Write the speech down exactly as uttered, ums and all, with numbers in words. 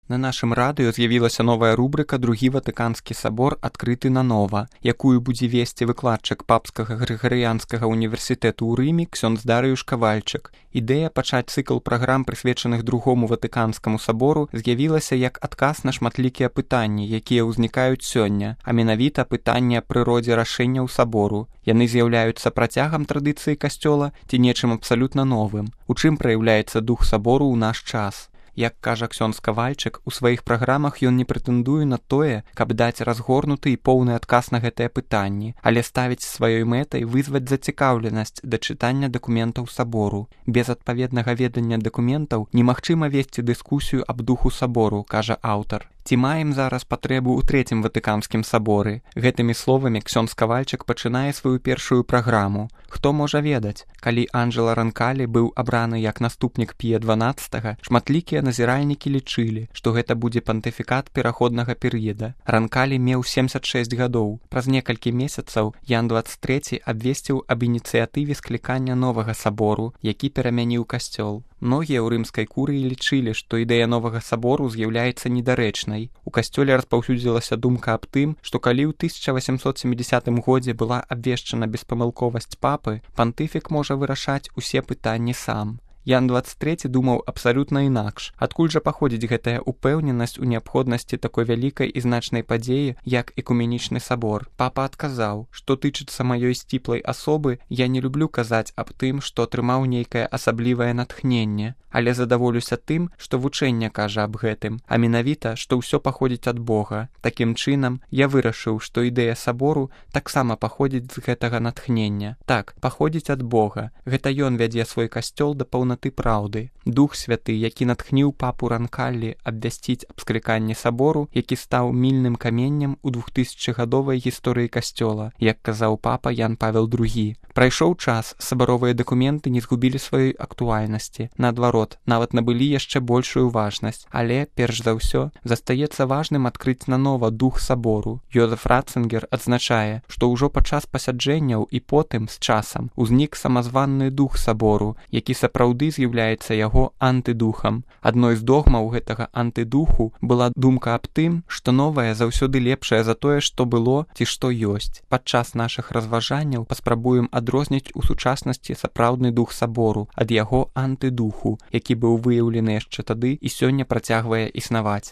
На нашым радыё з'явілася новая рубрыка «Другі Ватыканскі сабор адкрыты нанова», якую будзе весці выкладчык Папскага Грыгарыянскага універсітэту ў Рыме ксёндз Дарыюш Кавальчык. Ідэя пачаць цыкл праграм, прысвечаных другому Ватыканскаму сабору, з'явілася як адказ на шматлікія пытанні, якія ўзнікаюць сёння, а менавіта пытанні аб прыродзе рашэнняў сабору. Яны з'яўляюцца працягам традыцыі касцёла ці нечым абсалютна новым. У чым праяўляецца дух сабору ў наш час? Як кажа ксёндз Кавальчык, у сваіх праграмах ён не прэтэндуе на тое, каб даць разгорнуты і поўны адказ на гэтыя пытанні, але ставіць сваёй мэтай вызваць зацікаўленасць да чытання дакументаў сабору. Без адпаведнага ведання дакументаў немагчыма весці дыскусію аб духу сабору, кажа аўтар. Ці маем зараз патрэбу ў трэцім Ватыканскім саборы? Гэтымі словамі ксёндз Кавальчык пачынае сваю першую праграму. Хто можа ведаць? Калі Анджэло Ранкалі быў абраны як наступнік Пія дванаццатага, шматлікія назіральнікі лічылі, што гэта будзе пантыфікат пераходнага перыяда. Ранкалі меў семдзесят шэсць гадоў. Праз некалькі месяцаў Ян дваццаць трэці абвесціў аб ініцыятыве склікання новага сабору, які перамяніў касцёл. Многія ў рымскай курыі лічылі, што ідэя новага сабору з'яўляецца недарэчнай. У касцёле распаўсюдзілася думка аб тым, што калі ў тысяча васямсот сямідзясятым годзе была абвешчана беспамылковасць папы, пантыфік можа вырашаць усе пытанні сам. Ян дваццаць трэці думаў абсалютна інакш. Адкуль жа паходзіць гэтая упэўненасць у неабходнасці такой вялікай і значнай падзеі, як экуменічны сабор? Папа адказаў, што тычыцца маёй сціплай асобы, я не люблю казаць аб тым, што атрымаў нейкае асаблівае натхненне, але задаволюся тым, што вучэнне кажа аб гэтым, а менавіта, што ўсё паходзіць ад Бога. Такім чынам, я вырашыў, што ідэя сабору таксама паходзіць з гэтага натхнення. Так, паходзіць ад Бога. Гэта ён вядзе свой касцёл да паўнаты праўды. Дух святы, які натхніў папу Ранкалі абвясціць аб скліканні сабору, які стаў мільным каменнем у двухтысячагадовай гісторыі касцёла, як казаў папа Ян Павел другі. Прайшоў час, сабаровыя дакументы не згубілі сваёй актуальнасці. Наадварот, нават набылі яшчэ большую важнасць. Але, перш за ўсё, застаецца важным адкрыць нанова дух сабору. Йозеф Ратцынгер адзначае, што ўжо падчас пасяджэнняў і потым, з часам, узнік самазванны дух сабору, які сапраўды з'яўляецца яго антыдухам. Адной з догмаў гэтага антыдуху была думка аб тым, што новае заўсёды лепшае за тое, што было ці што ёсць. Падчас нашых разважанняў паспрабуем адрозніць у сучаснасці сапраўдны дух сабору ад яго антыдуху, які быў выяўлены яшчэ тады і сёння працягвае існаваць.